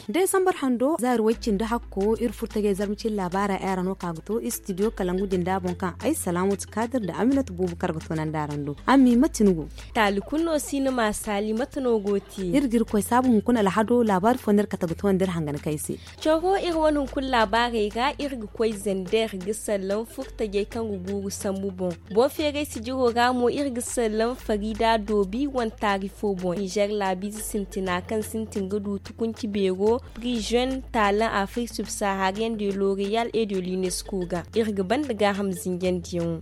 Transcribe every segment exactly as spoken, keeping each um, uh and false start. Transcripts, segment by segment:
Desambar hando zaari way cindi hakko iri furtajey zarma cine laabaara ay ra no ka ga to istidiyo kalangu din da boŋ kaŋ ay salaamatu kaadir nda aminatu buubu kar ga to nanda araŋ do. Ami mate ni go? Taali kulu no si ni ma saali mate no go te? Iri ga iri koy saabu hunkuna alhado laabaari fo no iri kate ga to nda iri hangan kay se. Coro iri wane hunkuna laabaarey ra iri ga koy zander ga sallam furtajey kaŋ ga guuru sambu boŋ. Boŋ feeray sijiro ra mo iri ga sallam farida doobi wane taari fo boŋ nizer laabiize sintina kaŋ sintin ga du tukunci beero prizion taalan afrik subsaharian de l'oreal et de l'unesco ga iri ga banda gaaham zinjandiyaŋo.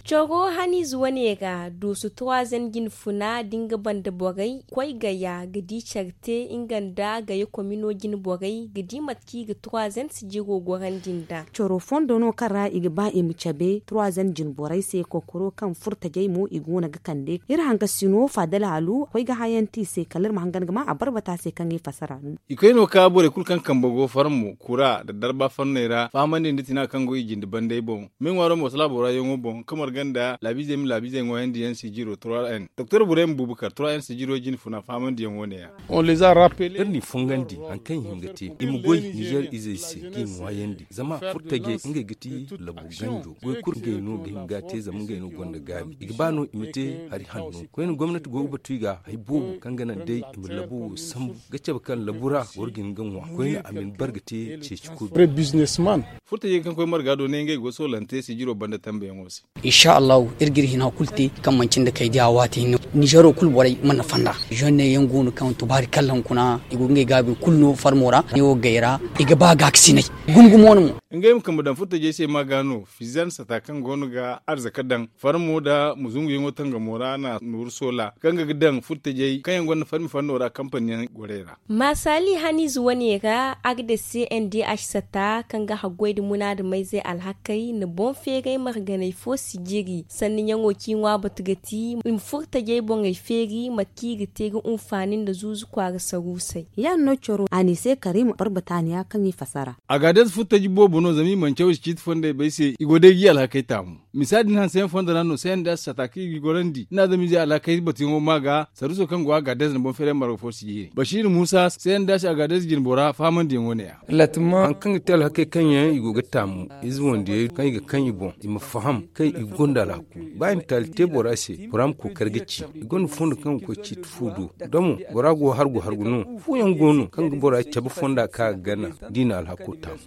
Coro haniize wane ra dooso troisième jinfuna da nga banda borey koy gaya ga di care te nga nda gaya komino jine borey ga di mate kaŋ i ga troisième sijiro gorandi nd'a. Coro fondo no kaŋ ra i ga ba i ma cabe troisième jine borey se kokoro kaŋ furtajey mo i go no ga kande iri hankasino faadal haalu koy ga hayanti i se kala iri ma hangan ga ma a barbata se kaŋ i fasara. I koy no ka borey kulu kaŋ kambe go farmo kura nda darba fanney ra fahamandi nda tina kaŋ go i jinde bandey boŋ. Me ŋwaaro mo salaabo ra yaŋo boŋ kamar ganda laabiizey ma laabiizey ŋwayandi yaŋ sijiro trois n doktor burem bubakar trois n sijiro jine funa fahamandiyaŋ wo ne ya. Iri n'i fongandi hari kaŋ i hin ga te i ma goy nizer izey se kaŋ i ŋwaayandi zama furtajey ngey ga ti labu ganjo goy kulu ngey no ga hin ga a te zama ngey no gonda gaabi i ga ba no i ma te hari hanno koyne gomnati go ga batu i ga hari boobo kaŋ ga naŋ day i ma labu wo sambu ga cabe kaŋ labu ra boro ga hin ga ŋwa koyne a ma ni bar ga te ceeci kulu. Furtajey kaŋ koy marga do ne ngey go soolante sijiro banda tambeyaŋo se. Insa allahu iri ga iri hina kulu te kaŋ manci nda kay diya waati hinne nizero kulu borey mana fanda zonne yaŋ go no kaŋ tubaari kallaŋ kuna i go ga ngey gaabi kulu no farmo ra ne wo gay ra i ga ba gaakasinay gumo gumo no mo. Ngey ma kambe daŋ furtajey se ma ga no fizan sata kaŋ go no ga arzaka daŋ farmo nda muzunguyaŋo tangamo ra na nooru soola kaŋ ga ga daŋ furtajey kaŋ yaŋ gonda farmi fanno ra kampaniyaŋ gorey ra. Maasali haniize wane ra agde cndh sata kaŋ ga haggoy nda munaadamayzey alhakey na boŋ feeray marganey fo sijiri sanniyaŋo kaŋ i ŋwa batu ga ti i ma furtajey boŋey feeri mate kaŋ i ga te ga unfaani nda zuuzu kwaara saruusey. Ya- din no coro a n'i se kariima barbataaniya kaŋ i fasara. Agaadez furtaji boobo no zama i mana caw i si ciiti fondey bay se i go day ga i alhakey taamu. Misa din hanseyaŋ fondo ra no cndh sata kaŋ i ga i gorandi nda adamize alhakey batuyaŋo ma ga saruuso kaŋ go agaadez nda boŋ feeray marga fo si jiiri basiiri muusa cndh agaadez jinbora fahamandiyaŋo ne- ya. Hari kaŋ ga te alhakey kaŋ yaŋ i go ga taamu ize wandiyey kaŋ i ga kaŋ i boŋ i ma faham kaŋ i gonda alhaku ba i ma taali te bora se bora ma kookari ga ci i gonda fondo kaŋ ga koy ciiti fu do da mo bora go hargu hargu no fooyaŋ go no kaŋ ga bora cabe fonda kaŋ a ga gana da i na alhako taamu.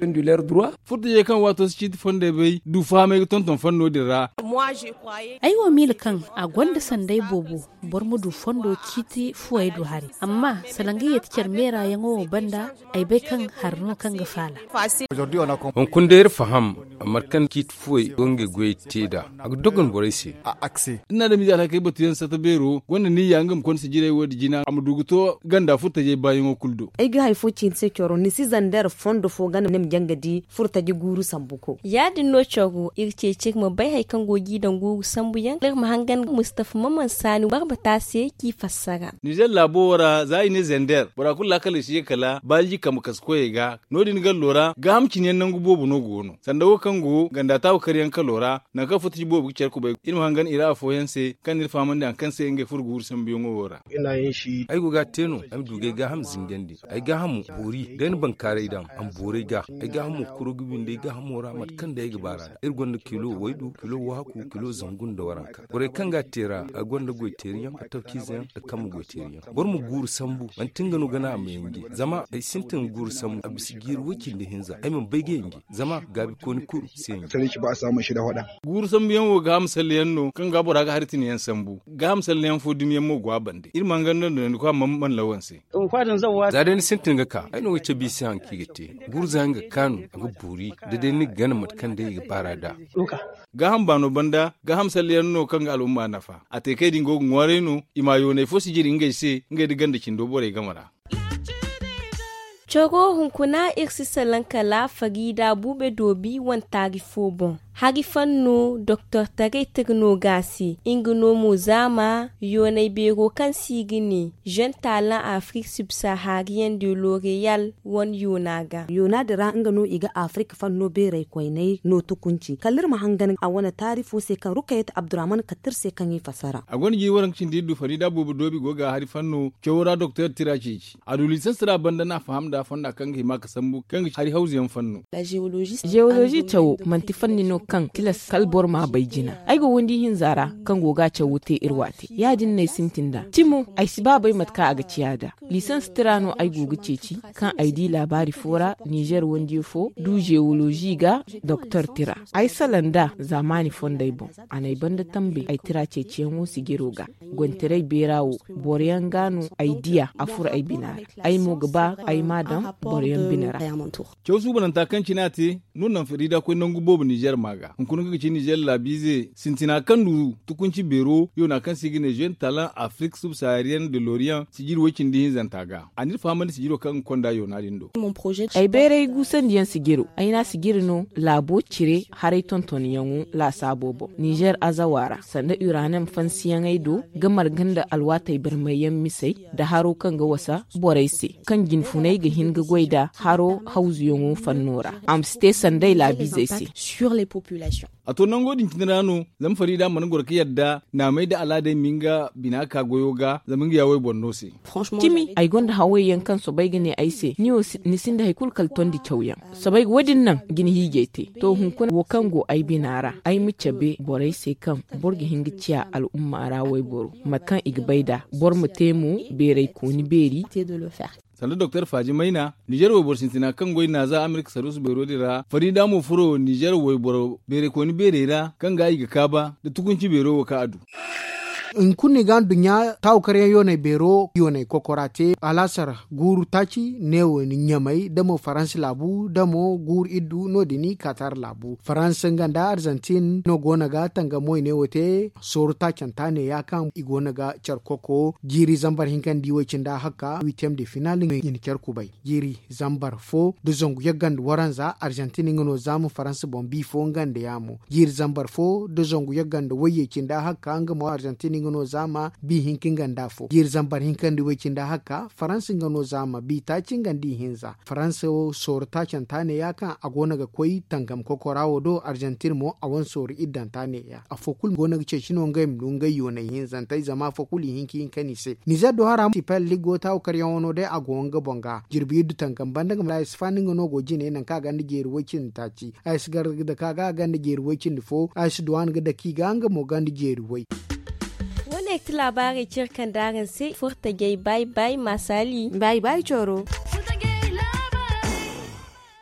Furtajey kaŋ waato si ciiti fondey bay du fahamey ga tonton fanno din ra. Ay wo miila kaŋ a gonda sanday boobo boro ma du fondo ciiti fuwey do hari amma sala nga yeeti care meera yaŋo wo banda ay bay kaŋ hari no kaŋ ga faala. Hunkuna day iri faham mate kaŋ ciiti fuwey go ngey goyey te nd'a a ga dogon borey se. Iri na adamize alhakey batuyaŋ sata beero gonda niyya nga ma konda sijirey wo- din jina a ma du ga to ganda furtajey baayaŋo kulu do. Ay ga hari fo ci ni se coro ni si zander fondo fo gana ni ma jaŋ ga di furtaji guuru sambu ko. Ya- din no coro iri ceeci iri ma bay hari kaŋ go ga i daŋ guuru sambuyaŋ iri ma hangan mustafa maman saani barbata se kaŋ i fassara. Nizer laabo wo ra za i ne zander bora kulu laakaley si ye kala baalji kambe kasu koyey ga no- din gallo ra gaaham cine yaŋ nangu boobo no go no sanda wo kaŋ go ganda taabu karyaŋ kalo ra nangu kaŋ furtaji boobo ga care kubay iri ma hangan i ra afooyaŋ se kaŋ na iri fahamandi hari kaŋ se ngey furo guuru sambuyaŋo wo ra. Ay go ga a te no ay ma du ga ay gaaham zingandi ay gaahamo boori da ay na bankaaray daŋ a ma boori ay ga ay gaahamo kuro ga windi ay gaahamo ra mate kaŋ day ay ga ba ra iri gonda kilo waydu kilo waaku kilo zangu nda waranka borey kaŋ ga a te ra ay gonda goyteeriyaŋ fattaw ciizeyaŋ nda kambe goyteeriyaŋ boro ma guuru sambu manti nga no ga naŋ a ma yanji zama ay sintin ga guuru sambu a bisa jiiri way cindi hinza ay mana bay ga yanji zama gaabikooni kulu si yanji. Guuru sambuyaŋ wo gaaham salleyaŋ no kaŋ ga bora ga hari tinayaŋ sambu gaaham salleyaŋ fo dumiyaŋ mo go a bande iri ma hangan no donandi koy a mana lawan se. Za day ni sintin ga ka ay no ga cabe i se hari kaŋ i ga te guuru za nga kaanu a ga boori da day ni ga gana mate kaŋ day i ga baara nd'a. Gaaham baano banda gaaham salleyaŋ no kaŋ ga al'umma nafa a te kay din go ga ŋwaaray no i ma yoonay fo si jiri ngey se ngey nda ganda cindo borey game ra. Coro hunkuna iri si salaŋ kala fariida buube doobi wane taari fo boŋ. Hari fanno doktor taray tira no ga a se nga no mo zaama yoonay beero kaŋ se i ga ne jeune talent afrik subsaharienne de l'oreal wane yoona ga. Yoona din ra nga no i ga afrik fanno beeray koynay no tukunci kala iri ma hangan a wane taari fo se kaŋ rukayat abdurahman katta iri se kaŋ i fassara. A gonda jiiri waranka cindi iddu farida boobo doobi go ga hari fanno cawo ra doktor tira ceeci a du lisansira banda no a faham nd'a fonda kaŋ ga hima ga sambu kaŋ ga ci hari hawzu yaŋ fanno. Zeolozi cawo manti fanni no kaŋ tilas kala boro ma a bay jina. Ay go windi hinza ra kaŋ go ga a cawo te iri waate ya- din no ay sintin nd'a cimo ay si ba bay mate kaŋ a ga ciya nd'a. Lisans tira no ay go ga ceeci kaŋ ay di laabaari fo ra nizer wandiyo fo du zeolozi ga doktor tira. Ay salaŋ nd'a zaamaani fondey boŋ a n'ay banda tambe ay tira ceeciyaŋo sijiro ga. Goytaray beera wo boro yaŋ ga no ay diya a furo ay bina ra. Ay mo ga ba ay m'a daŋ boro yaŋ bina ra. Caw suubananta kaŋ cine a te no naŋ farida koy nangu boobo nizer ma ga hunkuna kaŋ ga ci nizer laabiize sintina kaŋ du tukunci beero yoona kaŋ se i ga ne jeune talent afrik subsaharienne de l'orient sijiri way cindi hinzanta ga a n'iri fahamandi sijiro kaŋ ga konda yoona din do. Ay bayray guusandiyaŋ sijiro ay n'a sijiri no laabo cire haray tontonyaŋo laasaabo boŋ nizer azawa ra sanda uranem fansiyaŋey do ga marga nda alwaatey barmayyaŋ misey nda haro kaŋ ga wasa borey se kaŋ jinfunay ga hin ga goy nda haro hawzuyaŋo fanno ra a ma si te sanda ay laabiizey se. A to nango din cine ra no zama farida mana goro ga yadda naamey nda alaadey ma nga bina ka goyo ga zama nga ya wayboro no se. Cimi ay gonda haway yaŋ kaŋ soobay ga ne ay se ni wo ni sinda hari kulu kala tondi cawyaŋ. Soobay ga wo- din naŋ ga ni hiijay te to hunkuna wo kaŋ go ay bina ra ay ma cabe borey se kaŋ boro ga hin ga ciya al'umma ra wayboro mate kaŋ i ga bay nd'a boro ma te mo beeray kooni beeri. Sanda doktor faaji mayna nizer wayboro sintina kaŋ goy naaza amerika saruusu beero din ra farida mo furo nizer wayboro beeray kooni beerey ra kaŋ ga i ga kaaba nda tukunci beero wo kaŋ a du. Hunkuna i ga nduɲɲa taawu karyaŋ yoonay beero yoonay kokora te alaasar guuru taaci neewo ni ɲamay da mo faransa laabu da mo guuru iddu no- din katar laabu faransa nga nda arzantin no go no ga tangam wayne wo te sooru taacanta neeya kaŋ i go no ga care koko jiiri zambar hinka nda i way cindi a hakka huitième de final i na care kubay. Jiiri zambar fo nda zangu yagga nda waranza arzantin nga no zaama faransa boŋ bi fo nga nda yaamo jiiri zambar fo nda zangu yagga nda wayye cindi a hakka nga mo arzantin nga no zaama bi hinka nga nda afo jiiri zambar hinka nda i way cindi a hakka faransa nga no zaama bi taaci nga nda i hinza faransa wo sooru taacanta neeya kaŋ a go no ga koy tangam kokora wo do arzantin mo a wane sooru iddanta neeya afo kulu go no ga ceeci no ngey ma du ngey yoonay hinzantey zama afo kulu i hin ka hin ka ni se nizer do hara sipel ligo taawu karyaŋo no day a go nga boŋ ga jirbi iddu tangam banda nga ma ra i si faani nga no go jine nangu kaŋ a ganda jeeri way cindi taaci a si gar da ka ga a ganda jeeri way cindi fo a si duwaan ga dake i ga nga mo ganda jeeri way. Wo- ne ga ti laabaarey cire kaŋ da araŋ se furtajey bay bay maasali. Bay bay coro.